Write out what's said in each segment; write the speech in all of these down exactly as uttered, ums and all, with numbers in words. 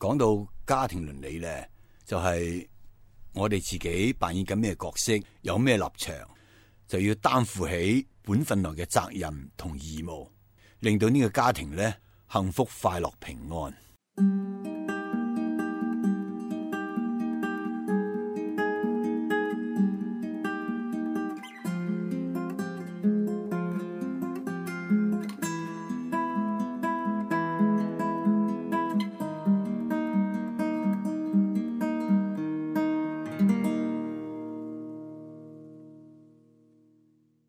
講到家庭倫理咧，就係、是、我哋自己扮演緊咩角色，有咩立場，就要擔負起本分內嘅責任同義務，令到呢個家庭咧幸福、快樂、平安。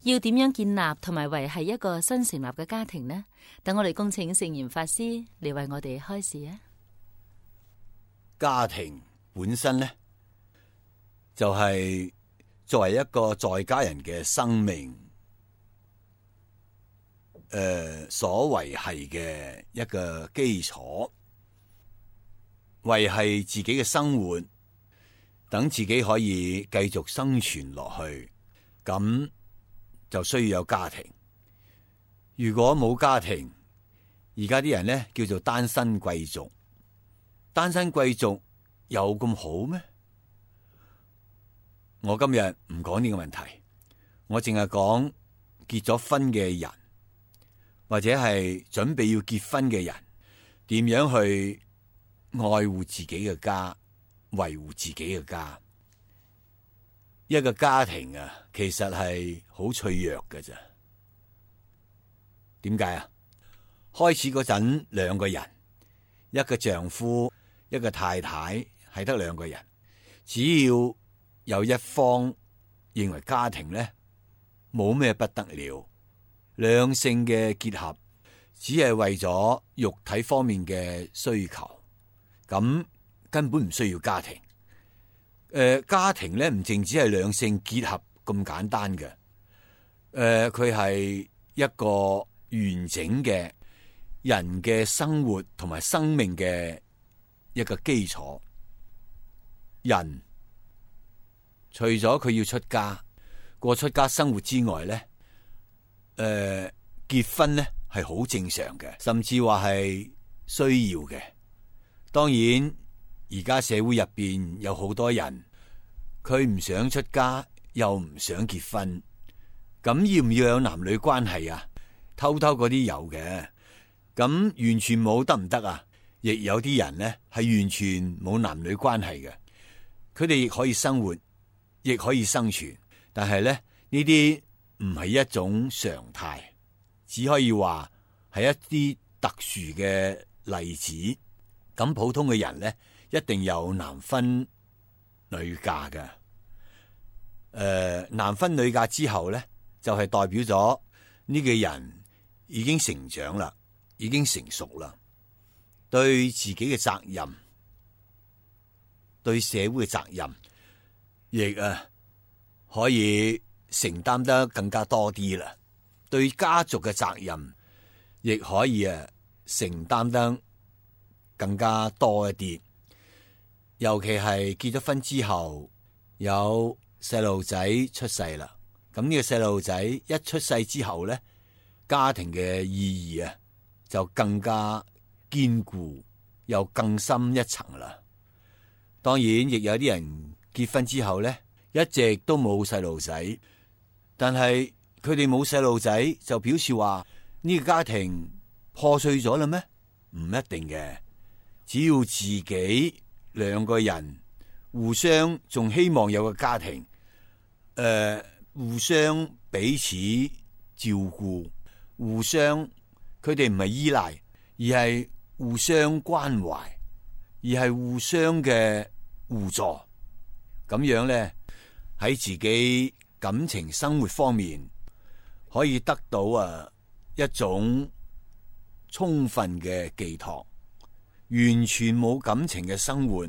要點樣建立同埋維繫一個新成立嘅家庭呢？等我哋恭請聖嚴法師嚟為我哋開示啊！家庭本身呢，就係、是、作為一個在家人嘅生命，誒、呃、所維繫嘅一個基礎，維繫自己嘅生活，等自己可以繼續生存落去，咁就需要有家庭。如果冇家庭，而家啲人咧叫做單身貴族。單身貴族有咁好咩？我今日唔講呢個問題，我淨係講結咗婚嘅人，或者係準備要結婚嘅人，點樣去愛護自己嘅家，維護自己嘅家。一個家庭啊，其實係好脆弱嘅咋。點解啊？開始嗰陣兩個人，一個丈夫，一個太太，係得兩個人。只要有一方認為家庭咧冇咩不得了，兩性嘅結合只係為咗肉體方面嘅需求，咁根本唔需要家庭。誒、呃，家庭咧唔淨只係兩性結合咁簡單嘅，誒、呃，佢係一個完整嘅人嘅生活同埋生命嘅一個基礎。人除咗佢要出家過出家生活之外咧，誒、呃，結婚咧係好正常嘅，甚至話係需要嘅。當然，而家社會入邊有好多人，佢唔想出家，又唔想結婚，咁要唔要有男女關係啊？偷偷嗰啲有嘅，咁完全冇得唔得啊？亦有啲人呢係完全冇男女關係嘅，佢哋亦可以生活，亦可以生存，但係咧呢啲唔係一種常態，只可以話係一啲特殊嘅例子。咁普通嘅人咧，一定有男婚女嫁嘅。誒、呃，男婚女嫁之後咧，就係、是、代表咗呢個人已經成長啦，已經成熟啦，對自己嘅責任，對社會嘅責任，亦啊可以承擔得更加多啲啦。對家族嘅責任，亦可以啊承擔得更加多一啲。尤其係結咗婚之後，有細路仔出世啦。咁呢個細路仔一出世之後咧，家庭嘅意義啊就更加堅固，又更深一層啦。當然，亦有啲人結婚之後咧，一直都冇細路仔，但係佢哋冇細路仔就表示話呢個家庭破碎咗啦咩？唔一定嘅，只要自己兩個人互相仲希望有個家庭，誒、呃，互相彼此照顧，互相佢哋唔係依賴，而係互相關懷，而係互相嘅互助，咁樣咧喺自己感情生活方面可以得到啊一種充分嘅寄託。完全冇感情嘅生活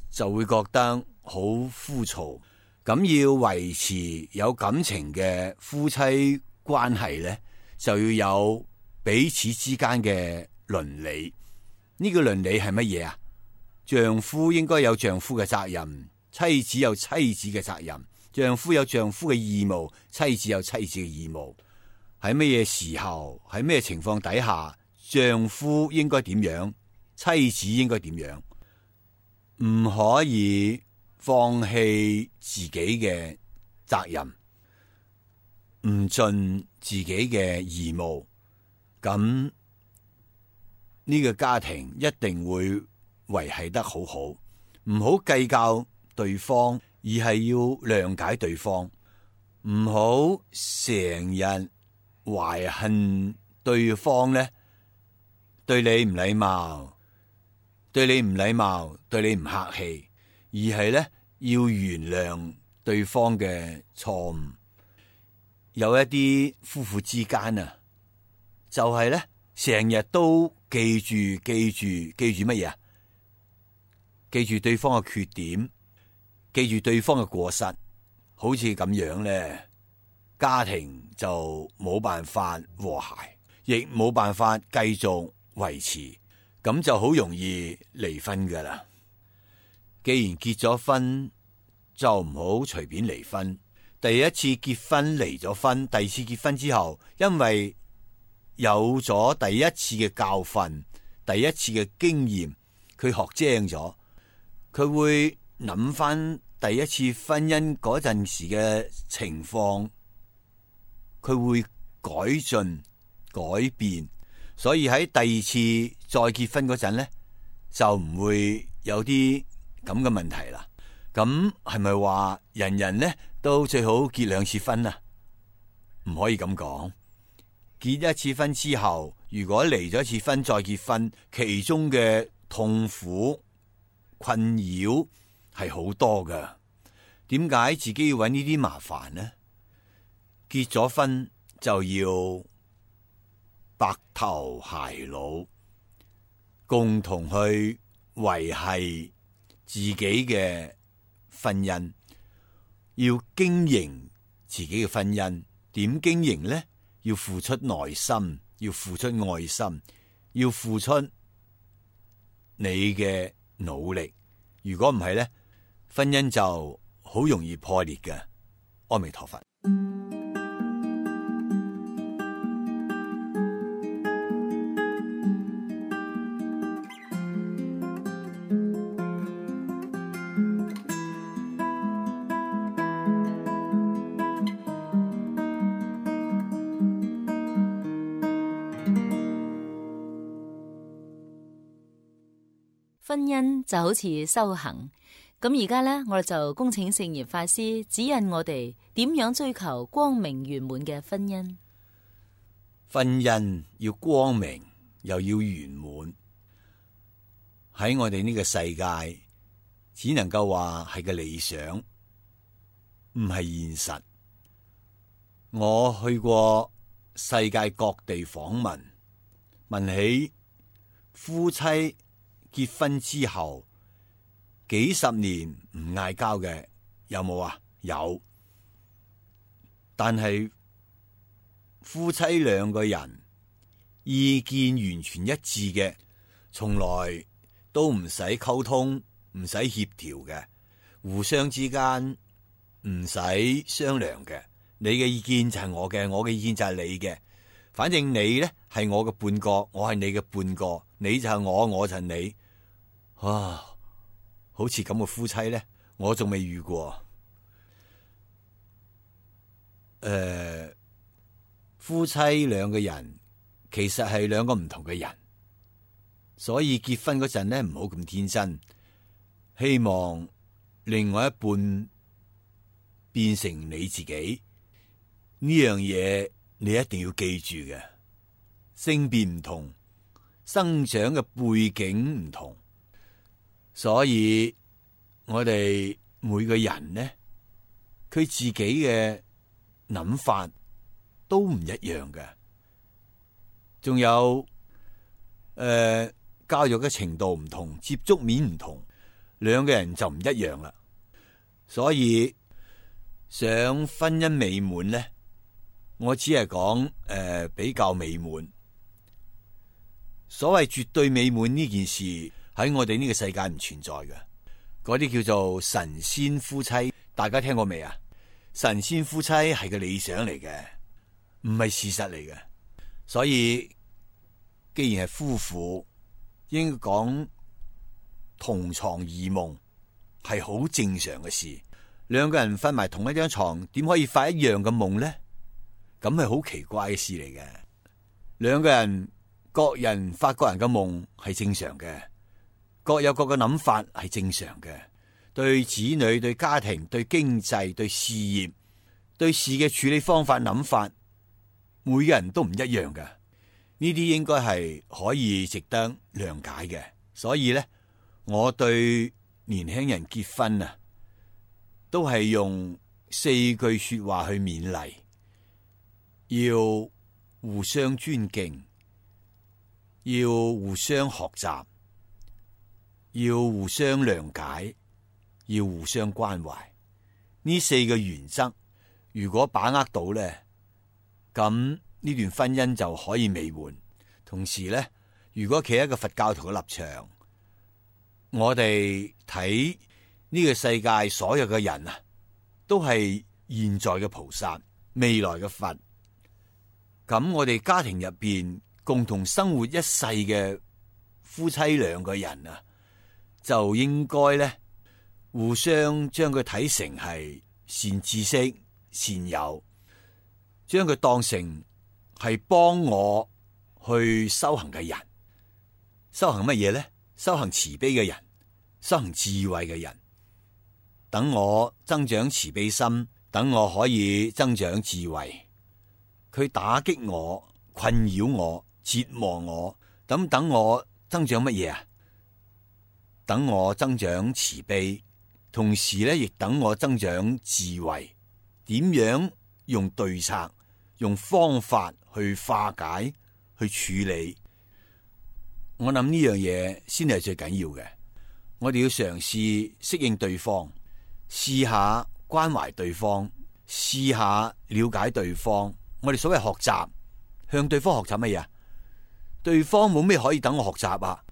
就會覺得好枯燥，咁要維持有感情嘅夫妻關係咧，就要有彼此之間嘅倫理。呢個倫理係乜嘢啊？丈夫應該有丈夫嘅責任，妻子有妻子嘅責任，丈夫有丈夫嘅義務，妻子有妻子嘅義務。喺乜嘢時候，喺咩情況底下，丈夫應該點樣，妻子應該點樣，唔可以放棄自己嘅責任，唔盡自己嘅義務，咁呢個家庭一定會維繫得好好。唔好計較對方，而係要諒解對方，唔好成日懷恨對方咧，對你唔禮貌，對你唔禮貌，對你唔客氣，而係咧要原諒對方嘅錯誤。有一啲夫婦之間啊，就係咧成日都記住記住記住乜嘢啊？記住對方嘅缺點，記住對方嘅過失，好似咁樣咧，家庭就冇辦法和諧，亦冇辦法繼續維持，咁就好容易離婚噶啦。既然結咗婚，就唔好隨便離婚。第一次結婚離咗婚，第二次結婚之後，因為有咗第一次嘅教訓，第一次嘅經驗，佢學精咗。佢會諗翻第一次婚姻嗰陣時嘅情況，佢會改進改變，所以喺第二次再結婚嗰陣咧，就唔會有啲咁嘅問題啦。咁係咪話人人咧都最好結兩次婚啊？唔可以咁講。結一次婚之後，如果離咗一次婚再結婚，其中嘅痛苦困擾係好多噶。點解自己要搵呢啲麻煩呢？結咗婚就要白頭偕老，共同去維繫自己嘅婚姻，要經營自己嘅婚姻。點經營呢？要付出耐心，要付出愛心，要付出你嘅努力。如果唔係咧，婚姻就好容易破裂嘅。阿彌陀佛。婚姻就好似修行，咁而家呢，我哋就恭請聖嚴法師指引我哋點樣追求光明圓滿嘅婚姻。婚姻要光明又要圓滿，喺我哋呢個世界只能夠話係個理想，唔係現實。我去過世界各地訪問，問起夫妻結婚之後幾十年唔嗌交嘅有冇啊？有，但係夫妻兩個人意見完全一致嘅，從來都唔使溝通，唔使協調嘅，互相之間唔使商量嘅。你嘅意見就係我嘅，我嘅意見就係你嘅。反正你呢係我嘅半個，我係你嘅半個，你就係我，我就係你。啊，好似咁嘅夫妻咧，我仲未遇過。誒、呃，夫妻兩個人其實係兩個唔同嘅人，所以結婚嗰陣咧唔好咁天真，希望另外一半變成你自己呢樣嘢，你一定要記住嘅。性別唔同，生長嘅背景唔同。所以我哋每個人呢，佢自己嘅諗法都唔一樣嘅，仲有誒、呃、教育嘅程度唔同，接觸面唔同，兩個人就唔一樣啦。所以想婚姻美滿呢，我只係講誒比較美滿。所謂絕對美滿呢件事，喺我哋呢個世界唔存在嘅，嗰啲叫做神仙夫妻，大家聽過未啊？神仙夫妻係個理想嚟嘅，唔係事實嚟嘅。所以既然係夫婦，應該講同床異夢係好正常嘅事。兩個人瞓埋同一張床，點可以發一樣嘅夢呢？咁係好奇怪嘅事嚟嘅。兩個人各人發各人嘅夢係正常嘅，各有各嘅諗法係正常嘅。對子女、對家庭、對經濟、對事業、對事嘅處理方法、諗法，每個人都唔一樣嘅。呢啲應該係可以值得諒解嘅。所以咧，我對年輕人結婚啊，都係用四句說話去勉勵：要互相尊敬，要互相學習，要互相諒解，要互相關懷。呢四個原則，如果把握到咧，咁呢段婚姻就可以美滿。同時咧，如果企喺一個佛教徒嘅立場，我哋睇呢個世界所有嘅人啊，都係現在嘅菩薩，未來嘅佛。咁我哋家庭入邊共同生活一世嘅夫妻兩個人啊，就應該咧互相將佢睇成係善知識、善友，將佢當成係幫我去修行嘅人。修行乜嘢咧？修行慈悲嘅人，修行智慧嘅人。等我增長慈悲心，等我可以增長智慧。佢打擊我、困擾我、折磨我，咁等我增長乜嘢啊？等我增長慈悲，同時咧亦等我增長智慧。點樣用對策、用方法去化解、去處理？我諗呢樣嘢先係最緊要嘅。我哋要嘗試適應對方，試下關懷對方，試下了解對方。我哋所謂學習，向對方學習乜嘢？對方冇咩可以等我學習啊，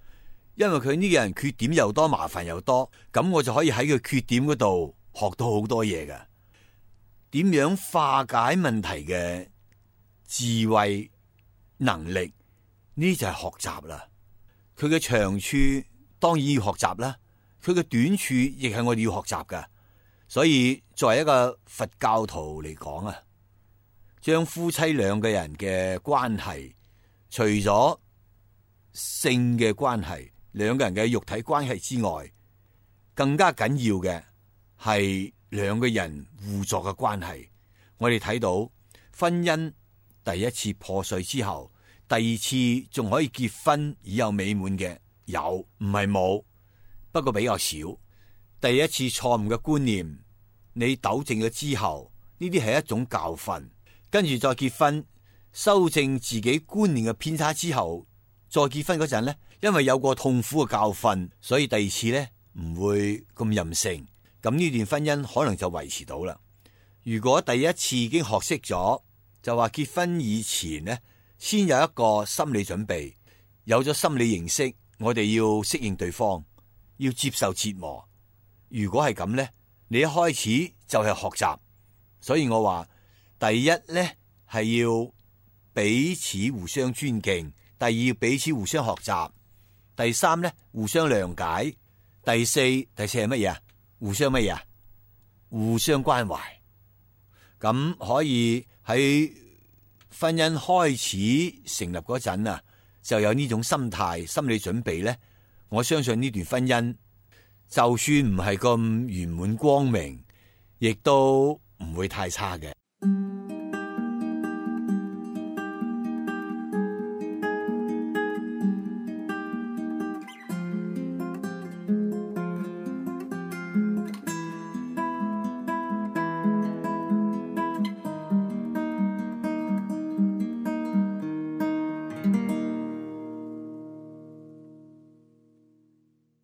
因為佢呢個人缺點又多，麻煩又多，咁我就可以喺佢缺點嗰度學到好多嘢㗎。點樣化解問題嘅智慧能力，呢就係學習啦。佢嘅長處當然要學習啦，佢嘅短處亦係我哋要學習㗎。所以作為一個佛教徒嚟講啊，將夫妻兩個人嘅關係，除咗性嘅關係，兩個人嘅肉體關係之外，更加緊要嘅係兩個人互助嘅關係。我哋睇到婚姻第一次破碎之後，第二次仲可以結婚而有美滿嘅有，唔係冇，不過比較少。第一次錯誤嘅觀念，你糾正咗之後，呢啲係一種教訓。跟住再結婚，修正自己觀念嘅偏差之後，再結婚嗰陣呢，因為有個痛苦嘅教訓，所以第二次呢唔會咁任性。咁呢段婚姻可能就維持到啦。如果第一次已經學識咗，就話結婚以前呢，先有一個心理準備，有咗心理認識，我哋要適應對方，要接受折磨。如果係咁呢，你一開始就係學習。所以我話，第一呢係要彼此互相尊敬，第二彼此互相學習，第三呢互相諒解，第四第四係乜嘢啊？互相乜嘢啊？互相關懷。咁可以喺婚姻開始成立嗰陣啊，就有呢種心態、心理準備呢。我相信呢段婚姻就算唔係咁圓滿光明，亦都唔會太差嘅。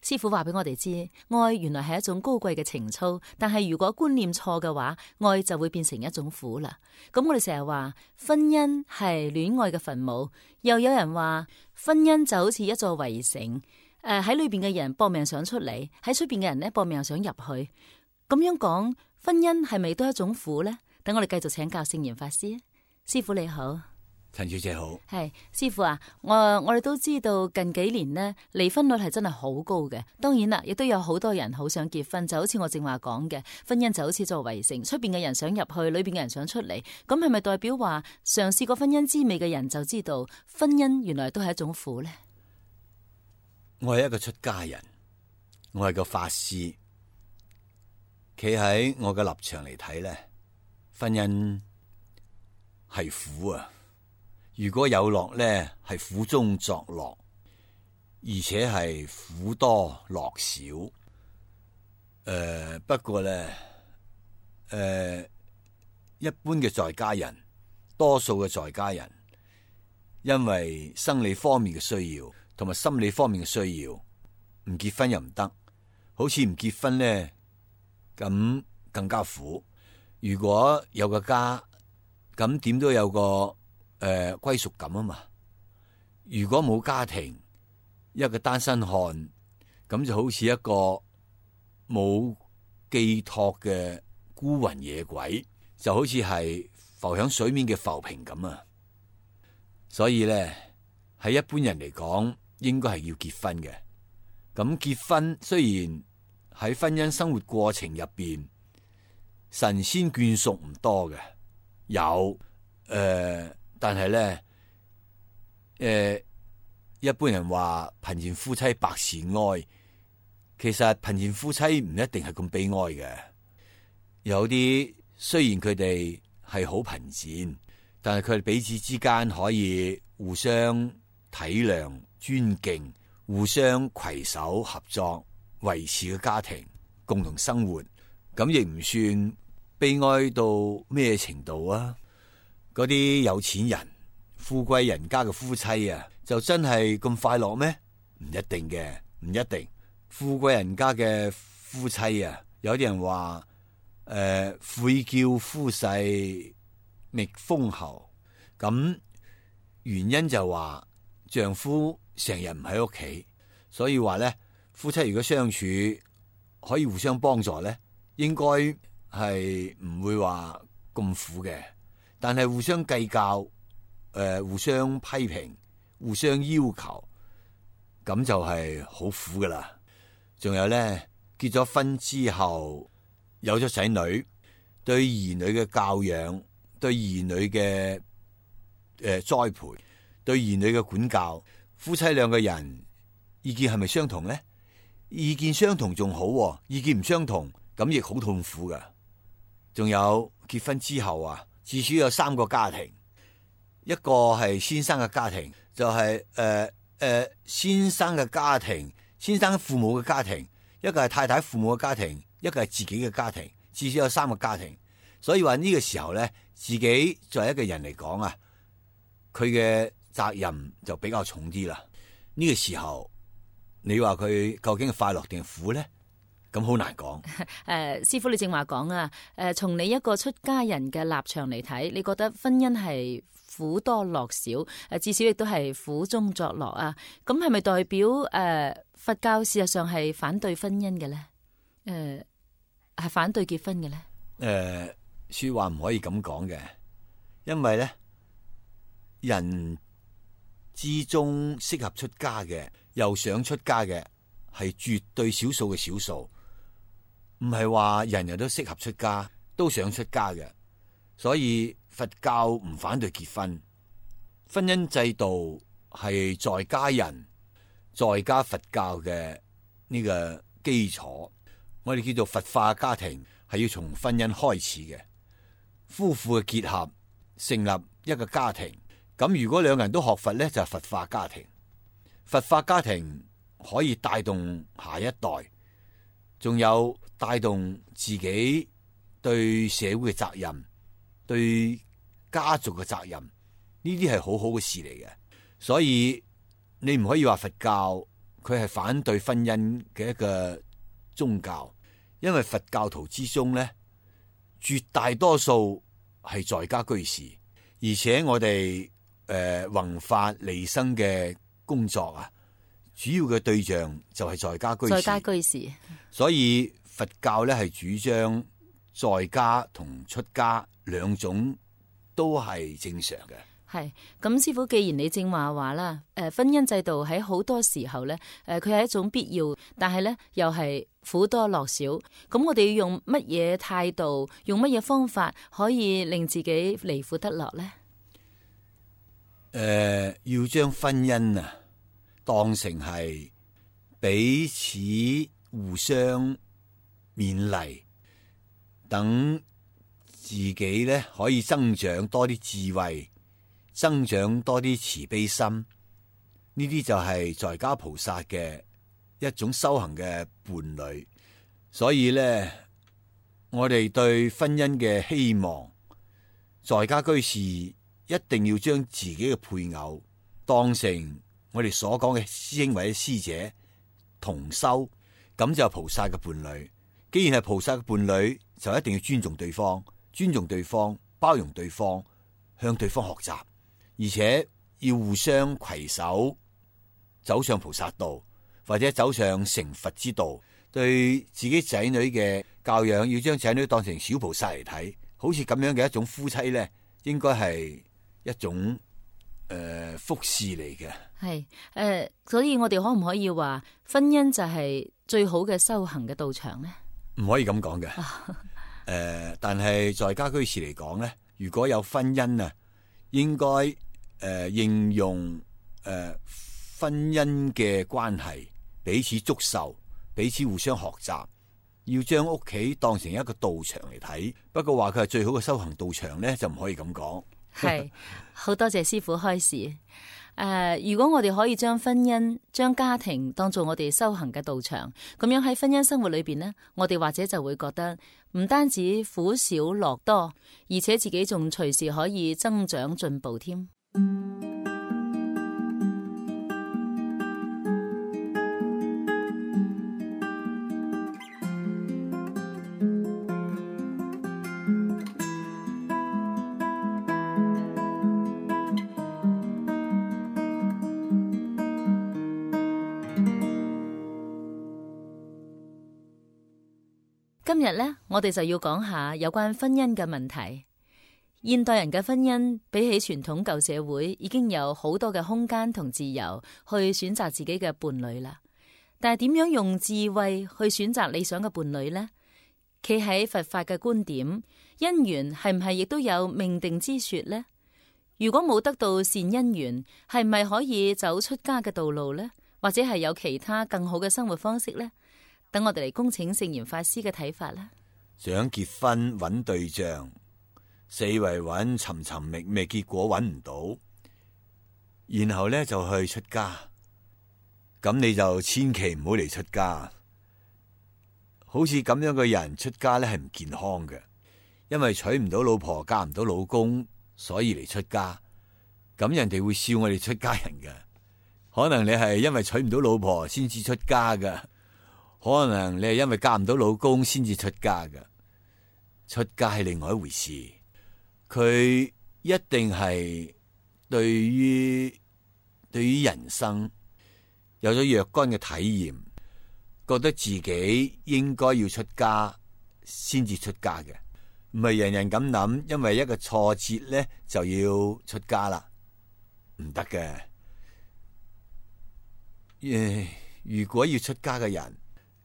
師父話俾我哋知，愛原來係一種高貴嘅情操，但係如果觀念錯嘅話，愛就會變成一種苦啦。咁我哋成日話婚姻係戀愛嘅墳墓，又有人話婚姻就好似一座圍城，誒喺裏邊嘅人搏命想出嚟，喺出邊嘅人咧搏命想入去。咁樣講，婚姻係咪都係一種苦呢？等我哋繼續請教聖嚴法師。師父你好。陳小姐好。係師傅啊，我我哋都知道近幾年呢，離婚率係真係好高嘅。當然啦，亦都有好多人好想結婚，就好似我正話講嘅，婚姻就好似座圍城，出邊嘅人想入去，裏邊嘅人想出嚟。咁係咪代表話嘗試過婚姻滋味嘅人就知道婚姻原來都係一種苦呢？我係一個出家人，我係個法師，企喺我嘅立場嚟睇咧，婚姻係苦啊！如果有樂咧，係苦中作樂，而且係苦多樂少。誒、呃，不過咧，誒、呃，一般嘅在家人，多數嘅在家人，因為生理方面嘅需要，同埋心理方面嘅需要，唔結婚又唔得，好似唔結婚咧，咁更加苦。如果有個家，咁點都有個。誒、呃，歸屬感啊嘛！如果冇家庭，一個單身漢，咁就好似一個冇寄託嘅孤魂野鬼，就好似係浮響水面嘅浮萍咁啊！所以咧，喺一般人嚟講，應該係要結婚嘅。咁結婚雖然喺婚姻生活過程入邊，神仙眷屬唔多嘅，有誒。呃但係咧，誒、呃，一般人話貧賤夫妻百事哀，其實貧賤夫妻唔一定係咁悲哀嘅。有啲雖然佢哋係好貧賤，但係佢哋彼此之間可以互相體諒、尊敬，互相攜手合作，維持個家庭，共同生活，咁亦唔算悲哀到咩程度啊！嗰啲有錢人、富貴人家嘅夫妻啊，就真係咁快樂咩？唔一定嘅，唔一定。富貴人家嘅夫妻啊，有啲人話誒，悔、呃、叫夫婿覓封侯，咁原因就話丈夫成日唔喺屋企，所以話咧，夫妻如果相處可以互相幫助咧，應該係唔會話咁苦嘅。但係互相計較，誒、呃，互相批評，互相要求，咁就係好苦噶啦。仲有咧，結咗婚之後，有咗仔女，對兒女嘅教養，對兒女嘅誒、呃、栽培，對兒女嘅管教，夫妻兩個人意見係咪相同咧？意見相同仲好、啊，意見唔相同，咁亦好痛苦噶。仲有結婚之後啊。至少有三個家庭，一個係先生嘅家庭，就係誒誒先生嘅家庭，先生父母嘅家庭，一個係太太父母嘅家庭，一個係自己嘅家庭，至少有三個家庭。所以話呢個時候咧，自己作為一個人嚟講啊，佢嘅責任就比較重啲啦。呢個時候，你話佢究竟係快樂定係苦咧？咁好難講。誒、呃，師傅你正話講啊，誒、呃，從你一個出家人嘅立場嚟睇，你覺得婚姻係苦多樂少？誒，至少亦都係苦中作樂啊。咁係咪代表誒、呃、佛教事實上係反對婚姻嘅咧？誒、呃，係反對結婚嘅咧？誒、呃，說話唔可以咁講嘅，因為咧人之中適合出家嘅，又想出家嘅，係絕對少數嘅少數。唔係話人人都適合出家，都想出家嘅，所以佛教唔反對結婚。婚姻制度係在家人、在家佛教嘅呢個基礎。我哋叫做佛化家庭，係要從婚姻開始嘅。夫婦嘅結合，成立一個家庭。咁如果兩個人都學佛咧，就係佛化家庭。佛化家庭可以帶動下一代。仲有帶動自己對社會嘅責任，對家族嘅責任，呢啲係好好嘅事嚟嘅。所以你唔可以話佛教佢係反對婚姻嘅一個宗教，因為佛教徒之中咧，絕大多數係在家居士，而且我哋誒弘法利生嘅工作啊，主要嘅對象就係在家居士。在家居士。所以佛教咧係主張在家同出家兩種都係正常嘅。係咁，師傅，既然你正話話啦，誒，婚姻制度喺好多時候咧，誒，佢係一種必要，但係咧又係苦多樂少。咁我哋要用乜嘢態度，用乜嘢方法，可以令自己離苦得樂咧？誒、呃，要將婚姻啊當成係彼此互相勉勵，等自己咧可以增長多啲智慧，增長多啲慈悲心。呢啲就係在家菩薩嘅一種修行嘅伴侶。所以咧，我哋對婚姻嘅希望，在家居士一定要將自己嘅配偶當成我哋所講嘅師兄或者師姐同修，咁就係菩薩嘅伴侶。既然係菩薩嘅伴侶，就一定要尊重對方，尊重對方，包容對方，向對方學習，而且要互相攜手走上菩薩道，或者走上成佛之道。對自己仔女嘅教養，要將仔女當成小菩薩嚟睇，好似咁樣嘅一種夫妻咧，應該係一種誒、呃、福事嚟嘅。係誒、呃，所以我哋可唔可以話婚姻就係最好嘅修行嘅道場咧？唔可以咁講嘅。誒、呃，但係在家居士嚟講咧，如果有婚姻啊，應該誒、呃、應用誒、呃、婚姻嘅關係，彼此祝壽，彼此互相學習，要將屋企當成一個道場嚟睇。不過話佢係最好嘅修行道場咧，就唔可以咁講。係，好多謝師父開示。誒、呃，如果我哋可以將婚姻、將家庭當做我哋修行嘅道場，咁樣喺婚姻生活裏邊呢，我哋或者就會覺得唔單止苦少樂多，而且自己仲隨時可以增長進步添。今日呢，我哋就要講下有關婚姻嘅問題。現代人嘅婚姻比起傳統舊社會，已經有好多嘅空間同自由去選擇自己嘅伴侶啦。但係點樣用智慧去選擇理想嘅伴侶呢？企喺佛法嘅觀點，姻緣係唔係亦都有命定之說呢？如果冇得到善姻緣，係咪可以走出家嘅道路呢？或者係有其他更好嘅生活方式呢？等我哋嚟恭請聖嚴法師嘅睇法啦。想結婚揾對象，四圍揾尋尋覓覓，結果揾唔到，然後咧就去出家。咁你就千祈唔好嚟出家。好似咁樣嘅人出家咧係唔健康嘅，因為娶唔到老婆，嫁唔到老公，所以嚟出家。咁人哋會笑我哋出家人嘅。可能你係因為娶唔到老婆先至出家噶。可能你係因為嫁唔到老公先至出家㗎。出家係另外一回事。佢一定係對於對於人生有咗若干嘅體驗，覺得自己應該要出家先至出家嘅，唔係人人咁諗，因為一個挫折咧就要出家啦，唔得嘅。誒，如果要出家嘅人，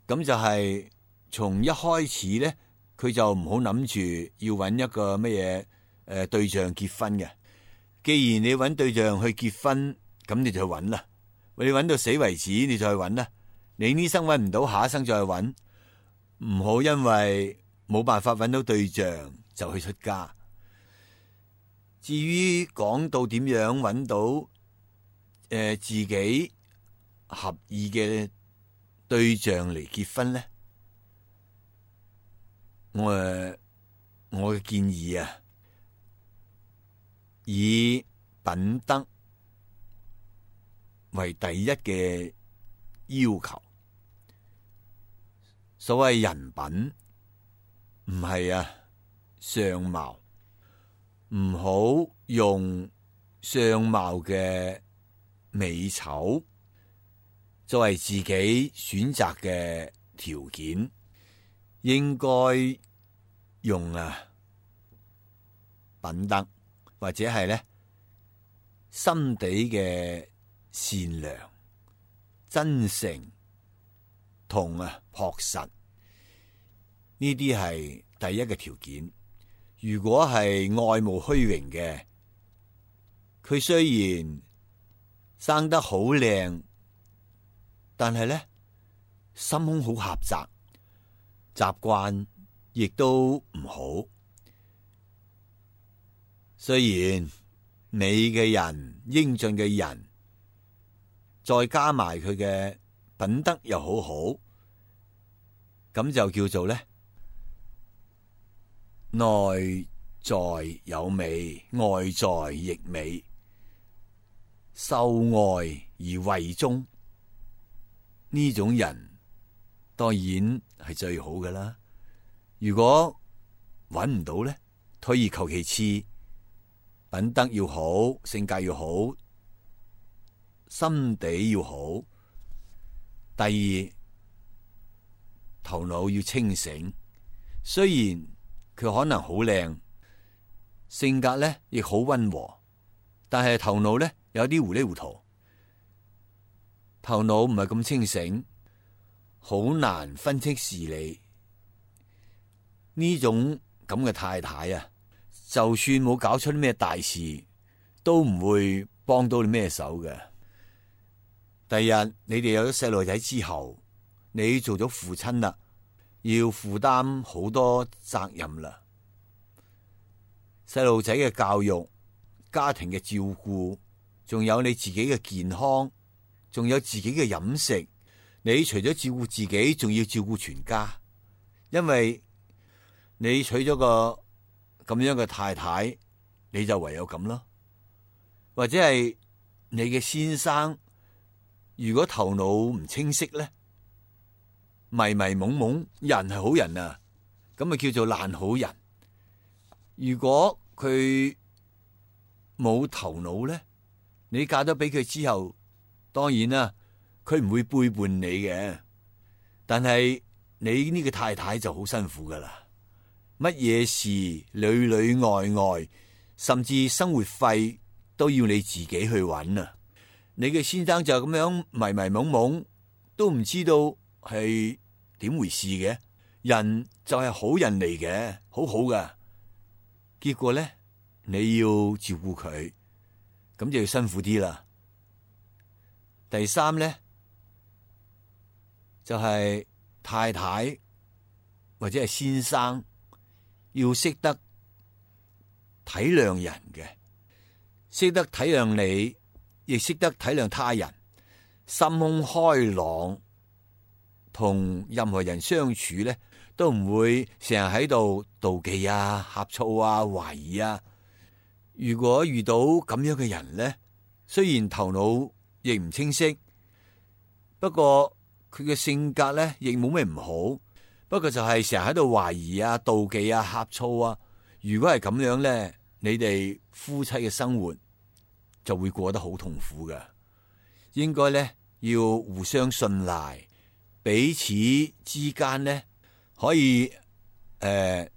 咁就係從一開始咧，佢就唔好諗住要揾一個乜嘢誒對象結婚嘅。既然你揾對象去結婚，咁你就去揾啦。你揾到死為止，你就去揾啦。你呢生揾唔到，下一生再去揾。唔好因為冇辦法揾到對象就去出家。至於講到點樣揾到誒、呃、自己合意嘅對象嚟結婚咧，我誒我嘅建議啊，以品德為第一嘅要求。所謂人品，唔係啊相貌，唔好用相貌嘅美醜作為自己選擇嘅條件，應該用啊品德，或者係咧心底嘅善良、真誠同啊樸實，呢啲係第一個條件。如果係愛慕虛榮嘅，佢雖然生得好靚，但係咧心胸好狹窄，習慣亦都唔好。雖然美嘅人、英俊嘅人，再加埋佢嘅品德又好好，咁就叫做咧內在有美，外在亦美，秀外而慧中。呢種人當然係最好噶啦。如果揾唔到咧，退而求其次，品德要好，性格要好，心地要好。第二，頭腦要清醒。雖然佢可能好靚，性格咧亦好溫和，但係頭腦咧有啲糊里糊塗。頭腦唔係咁清醒，好難分清事理。呢種咁嘅太太啊，就算冇搞出啲咩大事，都唔會幫到你咩手嘅。第日你哋有咗細路仔之後，你做咗父親啦，要負擔好多責任啦。細路仔嘅教育、家庭嘅照顧，仲有你自己嘅健康，仲有自己嘅飲食。你除咗照顧自己，仲要照顧全家。因為你娶咗個咁樣嘅太太，你就唯有咁咯。或者係你嘅先生，如果頭腦唔清晰咧，迷迷懵懵，人係好人啊，咁咪叫做爛好人。如果佢冇頭腦咧，你嫁咗俾佢之後，當然啦，佢唔會背叛你嘅，但係你呢個太太就好辛苦噶啦。乜嘢事裏裏外外，甚至生活費都要你自己去揾啊！你嘅先生就咁樣迷迷懵懵，都唔知道係點回事嘅。人就係好人嚟嘅，好好噶。結果咧，你要照顧佢，咁就要辛苦啲啦。第三咧，就係太太或者係先生，要識得體諒人嘅，識得體諒你，亦識得體諒他人，心胸開朗，同任何人相處咧，都唔會成日喺度妒忌啊、呷醋啊、懷疑啊。如果遇到咁樣嘅人咧，雖然頭腦亦唔清晰，不過佢嘅性格咧亦冇咩唔好。不過就係成日喺度懷疑啊、妒忌啊、呷醋啊。如果係咁樣咧，你哋夫妻嘅生活就會過得好痛苦噶。應該咧要互相信賴，彼此之間咧可以誒、呃、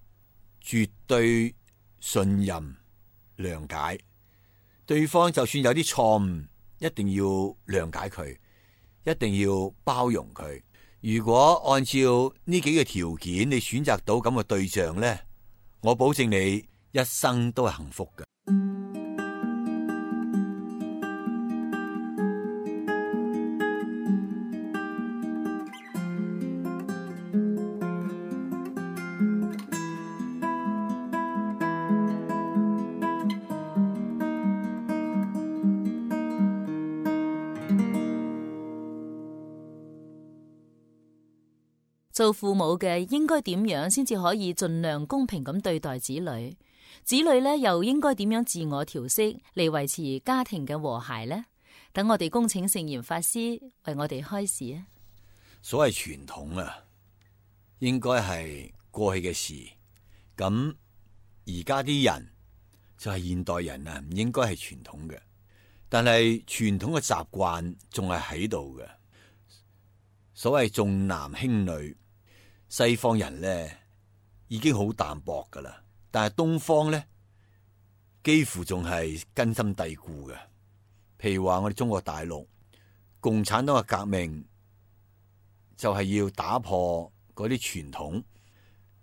絕對信任、諒解對方。就算有啲錯誤，一定要諒解佢，一定要包容佢。如果按照呢幾個條件，你選擇到咁嘅對象咧，我保證你一生都係幸福嘅。做父母嘅應該點樣先至可以盡量公平咁對待子女？子女咧又應該點樣自我調適嚟維持家庭嘅和諧呢？等我哋恭請聖嚴法師為我哋開示啊！所謂傳統啊，應該係過去嘅事。咁而家啲人就係現代人啊，唔應該係傳統嘅。但係傳統嘅習慣仲係喺度嘅。所謂重男輕女。西方人咧已經好淡薄噶啦，但係東方咧幾乎仲係根深蒂固嘅。譬如話我哋中國大陸共產黨嘅革命就係要打破嗰啲傳統，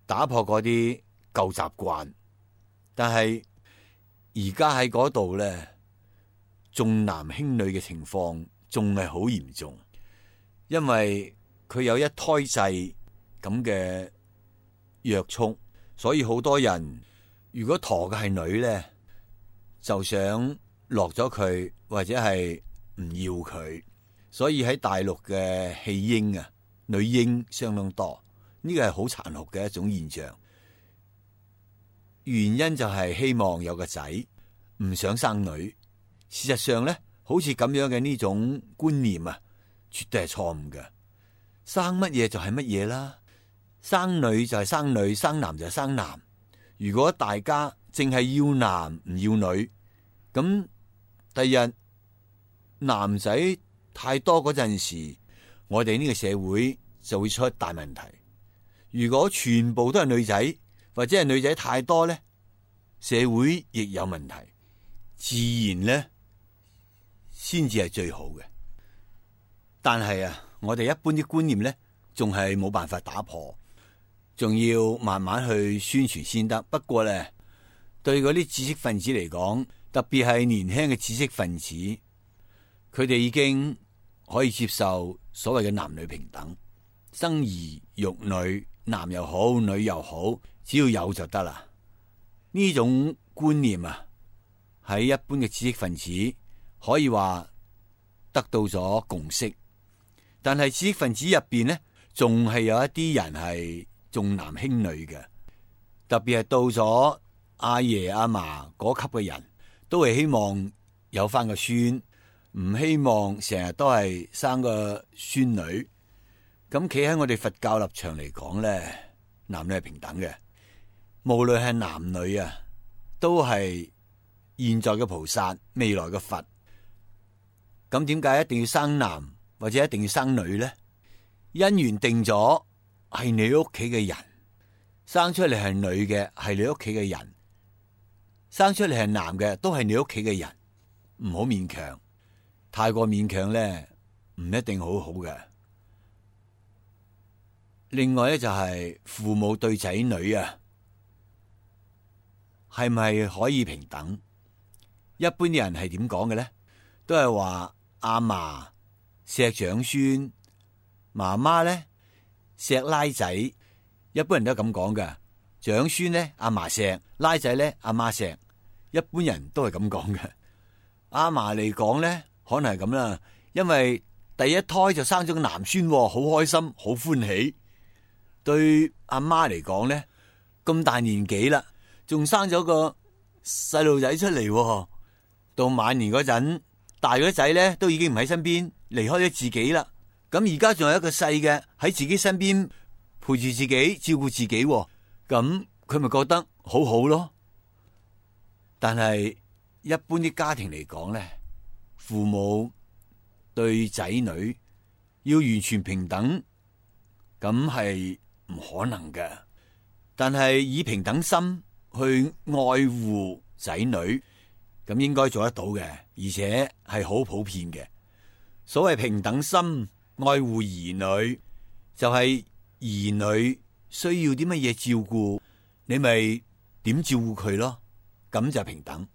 打破嗰啲舊習慣，但係而家喺嗰度咧，重男輕女嘅情況仲係好嚴重，因為佢有一胎制咁嘅約束，所以好多人如果陀嘅係女咧，就想落咗佢或者係唔要佢，所以喺大陸嘅棄嬰啊，女嬰相當多，呢個係好殘酷嘅一種現象。原因就係希望有個仔，唔想生女。事實上咧，好似咁樣嘅呢種觀念啊，絕對係錯誤嘅。生乜嘢就係乜嘢啦，生女就係生女，生男就係生男。如果大家淨係要男唔要女，咁第日男仔太多嗰陣時，我哋呢個社會就會出大問題。如果全部都係女仔，或者係女仔太多咧，社會亦有問題，自然咧先至係最好嘅。但係啊，我哋一般啲觀念咧，仲係冇辦法打破，仲要慢慢去宣傳先得。不過咧，對嗰啲知識分子嚟講，特別係年輕嘅知識分子，佢哋已經可以接受所謂嘅男女平等，生兒育女，男又好，女又好，只要有就得啦。呢種觀念啊，喺一般嘅知識分子可以話得到咗共識，但係知識分子入邊呢，仲係有一啲人係重男輕女嘅，特別係到咗阿爺阿嫲嗰級嘅人，都係希望有翻個孫，唔希望成日都係生個孫女。咁企喺我哋佛教立場嚟講咧，男女係平等嘅，無論係男女啊，都係現在嘅菩薩，未來嘅佛。咁點解一定要生男或者一定要生女咧？因緣定咗係你屋企嘅人，生出嚟係女嘅係你屋企嘅人，生出嚟係男嘅都係你屋企嘅人，唔好勉強，太過勉強咧唔一定好好嘅。另外咧就係父母對仔女啊，係咪可以平等？一般啲人係點講嘅咧？都係話阿嫲錫長孫，媽媽咧錫拉仔。一般人都係咁講嘅。長孫咧阿嫲錫，拉仔咧阿媽錫。一般人都係咁講嘅。阿嫲嚟講咧，可能係咁啦，因為第一胎就生咗個男孫，好開心，好歡喜。對阿媽嚟講咧，咁大年紀啦，仲生咗個細路仔出嚟，到晚年嗰陣，大咗仔咧都已經唔喺身邊，離開咗自己啦。咁而家仲有一個細嘅喺自己身邊陪住自己，照顧自己，咁佢咪覺得好好咯。但係一般啲家庭嚟講咧，父母對仔女要完全平等，咁係唔可能嘅。但係以平等心去愛護仔女，咁應該做得到嘅，而且係好普遍嘅。所謂平等心愛護兒女，就係兒女需要啲乜嘢照顧，你咪點照顧佢咯，咁就平等。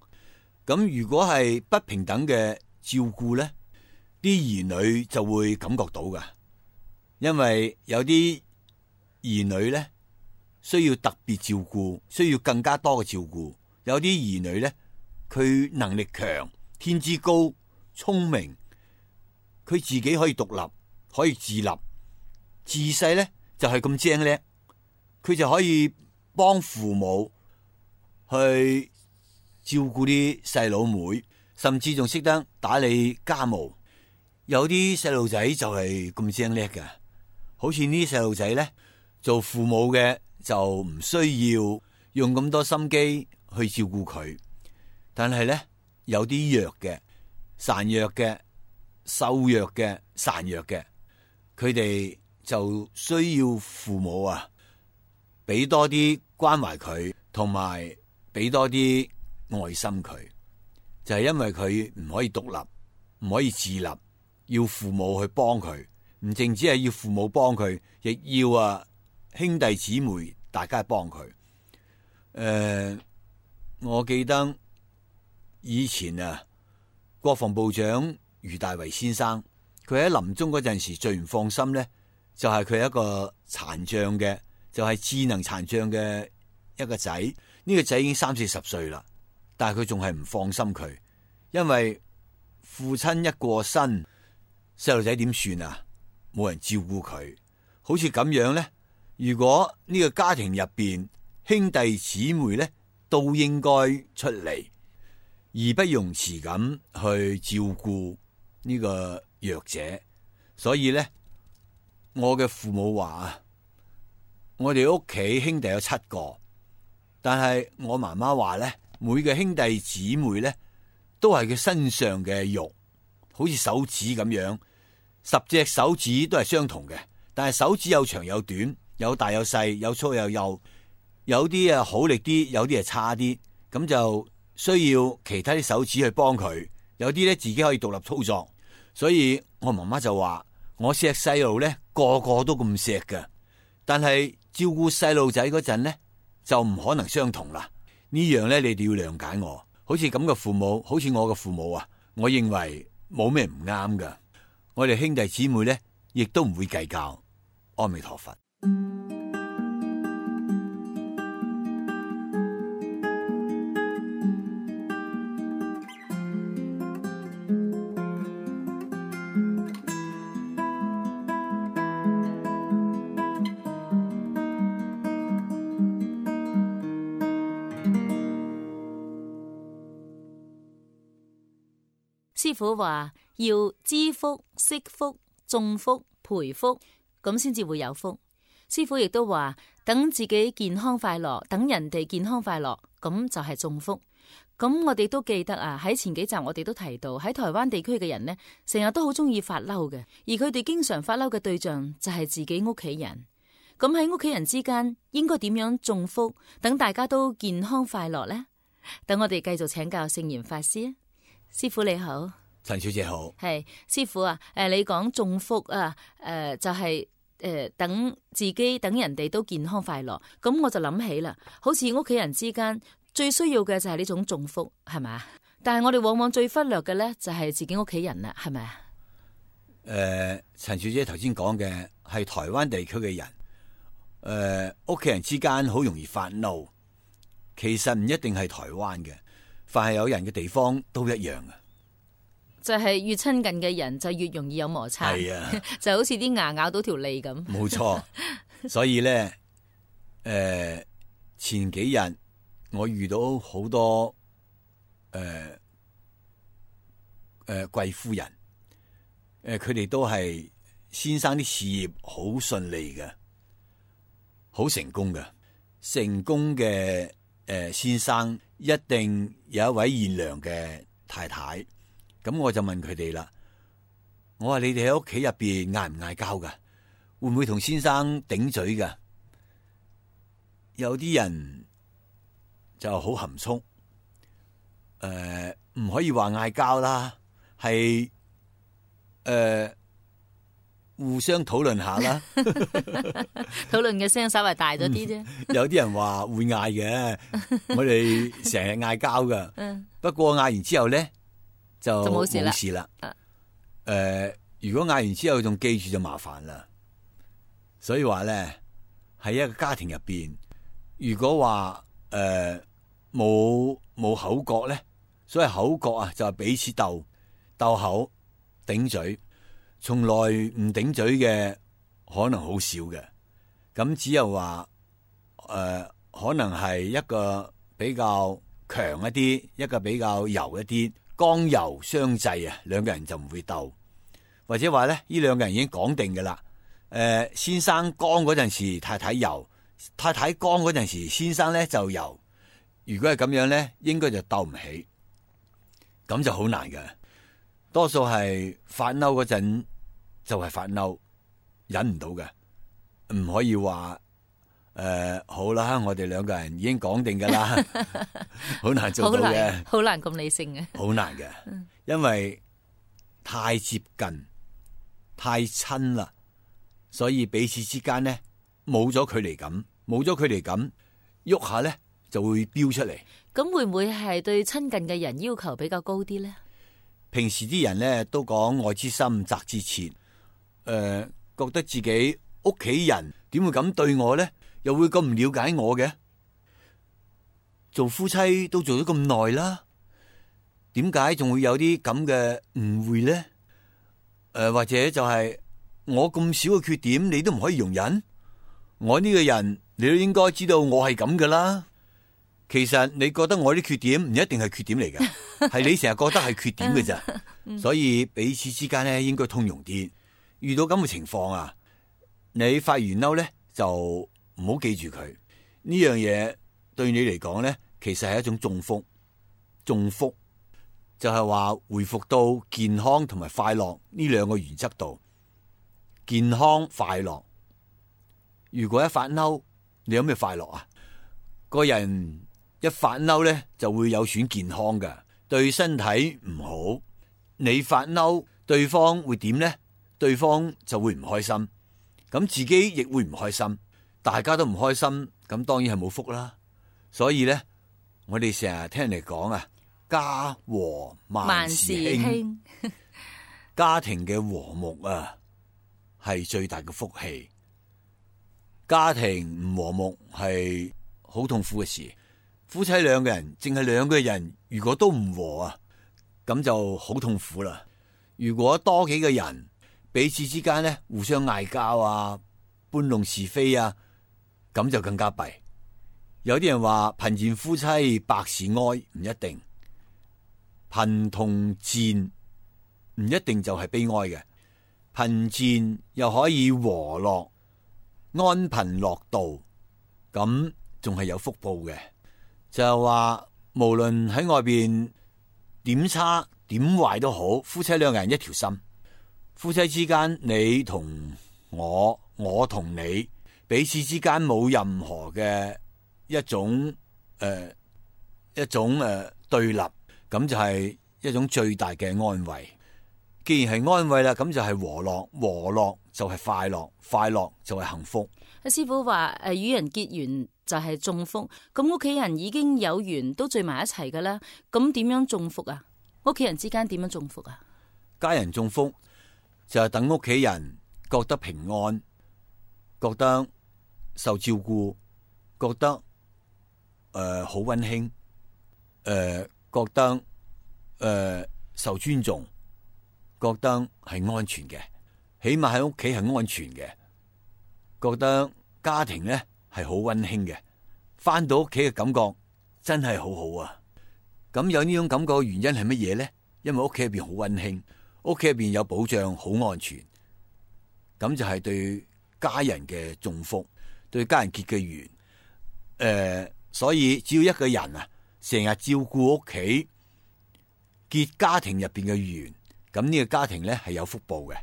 咁如果係不平等嘅照顧咧，啲兒女就會感覺到噶，因為有啲兒女咧需要特別照顧，需要更加多嘅照顧。有啲兒女咧，佢能力強，天資高，聰明，佢自己可以獨立，可以自立，自細咧就係咁精叻，佢就可以幫父母去照顧啲細佬妹，甚至仲識得打理家務。有啲細路仔就係咁精叻嘅，好似呢啲細路仔咧，做父母嘅就唔需要用咁多心機去照顧佢。但係咧，有啲弱嘅、孱弱嘅、瘦弱嘅、孱弱嘅，佢哋就需要父母啊，俾多啲關懷佢，同埋俾多啲愛心佢。就係因為佢唔可以獨立，唔可以自立，要父母去幫佢，唔淨止係要父母幫佢，亦要啊兄弟姊妹大家幫佢。誒、呃，我記得以前啊，國防部長余大為先生，佢喺臨終嗰陣時最唔放心咧，就係佢一個殘障嘅，就係、是、智能殘障嘅一個仔。呢、這個仔已經三四十歲啦，但係佢仲係唔放心佢，因為父親一過身，細路仔點算啊？冇人照顧佢，好似咁樣咧。如果呢個家庭入邊兄弟姊妹咧都應該出嚟，義不容辭咁去照顧呢個弱者。所以咧，我嘅父母話啊，我哋屋企兄弟有七個，但係我媽媽話咧，每個兄弟姊妹咧都係佢身上嘅肉，好似手指咁樣，十隻手指都係相同嘅，但係手指有長有短，有大有細，有粗有幼，有啲啊好力啲，有啲係差啲，咁就需要其他啲手指去幫佢，有啲咧自己可以獨立操作。所以我媽媽就話，我錫細路咧個個都咁錫㗎，但係照顧細路仔嗰陣咧就唔可能相同啦。呢樣咧你哋要諒解我。好似咁嘅父母，好似我嘅父母啊，我認為冇咩唔啱㗎。我哋兄弟姊妹咧亦都唔會計較。阿彌陀佛。師父話要知福、惜福、種福、培福，咁先至會有福。師父亦都話，等自己健康快樂，等人哋健康快樂，咁就係種福。咁我哋都記得啊，喺前幾集我哋都提到，喺台灣地區嘅人呢，成日都好中意發嬲嘅，而佢哋經常發嬲嘅對象就係自己屋企人。咁喺屋企人之間，應該點樣種福，等大家都健康快樂呢？等我哋繼續請教聖嚴法師啊。師父你好。陳小姐好。係師父啊，誒，你講種福啊，誒、呃，就係、是、誒、呃，等自己等人哋都健康快樂。咁我就諗起啦，好似屋企人之間最需要嘅就係呢種種福，係咪啊？但係我哋往往最忽略嘅咧，就係自己屋企人啦，係咪啊？誒、呃，陳小姐頭先講嘅係台灣地區嘅人，誒、呃，屋企人之間好容易發怒，其實唔一定係台灣嘅，凡係有人嘅地方都一樣嘅。就係越親近嘅人就越容易有摩擦，係啊，就好似啲牙咬到條脷咁。冇錯，所以咧，誒、呃，前幾日我遇到好多誒誒貴夫人，誒、呃，佢哋都係先生啲事業好順利嘅，好成功嘅，成功嘅誒、呃、先生一定有一位賢良嘅太太。咁我就問佢哋啦，我話你哋喺屋企入邊嗌唔嗌交噶？會唔會同先生頂嘴噶？有啲人就好含蓄，誒、呃，唔可以話嗌交啦，係誒、呃、互相討論下啦，討論嘅聲稍微大咗啲啫。有啲人話會嗌嘅，我哋成日嗌交噶，不過嗌完之後咧。就冇事啦。誒、呃，如果嗌完之後仲記住就麻煩啦。所以話咧，喺一個家庭入邊，如果話誒冇冇口角咧，所謂口角啊，就係彼此鬥鬥口頂嘴，從來唔頂嘴嘅可能好少嘅。咁只有話誒、呃，可能係一個比較強一啲，一個比較柔一啲。剛柔相濟啊，兩個人就唔會鬥，或者話咧，呢兩個人已經講定㗎啦。誒、呃，先生剛嗰陣時，太太柔；太太剛嗰陣時，先生咧就柔。如果係咁樣咧，應該就鬥唔起，咁就好難嘅。多數係發嬲嗰陣就係發嬲，忍唔到嘅，唔可以話。誒、呃，好啦，我哋兩個人已經講定噶啦，好難做到嘅，好難咁理性嘅，好難嘅，因為太接近、太親啦，所以彼此之間呢冇咗距離感，冇咗距離感，喐下呢就會飆出嚟。咁會唔會係對親近嘅人要求比較高啲呢？平時啲人呢都講愛之深責之切，誒、呃，覺得自己屋企人點會咁對我呢？又會咁唔了解我嘅？做夫妻都做咗咁耐啦，點解仲會有啲咁嘅誤會呢？誒、呃，或者就係我咁少嘅缺點，你都唔可以容忍？我呢個人，你都應該知道我係咁噶啦。其實你覺得我啲缺點唔一定係缺點嚟嘅，係你成日覺得係缺點嘅咋。所以彼此之間咧應該通融啲。遇到咁嘅情況啊，你發完嬲咧就唔好記住佢呢樣嘢。對你嚟講咧，其實係一種中福，中福就係話回復到健康同埋快樂呢兩個原則度。健康快樂，如果一發嬲，你有咩快樂啊？個人一發嬲咧，就會有損健康嘅，對身體唔好。你發嬲，對方會點咧？對方就會唔開心，咁自己亦會唔開心，大家都唔開心，咁當然係冇福啦。所以咧，我哋成日聽人哋講啊，家和萬事興，家庭嘅和睦啊，係最大嘅福氣。家庭唔和睦係好痛苦嘅事。夫妻兩個人，淨係兩個人，如果都唔和啊，咁就好痛苦啦。如果多幾個人，彼此之間咧互相嗌交啊，搬弄是非啊，咁就更加弊。有啲人話貧賤夫妻百事哀，唔一定。貧同賤唔一定就係悲哀嘅，貧賤又可以和樂，安貧樂道，咁仲係有福報嘅。就係話無論喺外邊點差點壞都好，夫妻兩個人一條心。夫妻之間，你同我，我同你，彼此之間冇任何嘅一種誒、呃、一種誒、呃、對立，咁就係一種最大嘅安慰。既然係安慰啦，咁就係和樂，和樂就係快樂，快樂就係幸福。阿師傅話誒，與人結緣就係中福，咁屋企人已經有緣都聚埋一齊噶啦，咁點樣中福啊？屋企人之間點樣中福啊？家人中福就係等屋企人覺得平安，覺得受照顧，覺得誒好溫馨，誒、呃、覺得誒、呃、受尊重，覺得係安全嘅，起碼喺屋企係安全嘅，覺得家庭咧係好溫馨嘅，翻到屋企嘅感覺真係好好啊！咁有呢種感覺嘅原因係乜嘢咧？因為屋企入邊好溫馨，屋企入邊有保障，好安全，咁就係對家人嘅祝福，對家人結嘅緣。誒、呃，所以只要一個人啊，成日照顧屋企，結家庭入邊嘅緣，咁呢個家庭咧係有福報嘅。誒、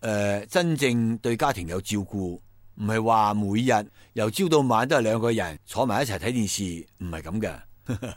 呃，真正對家庭有照顧，唔係話每日由朝到晚都係兩個人坐埋一齊睇電視，唔係咁嘅。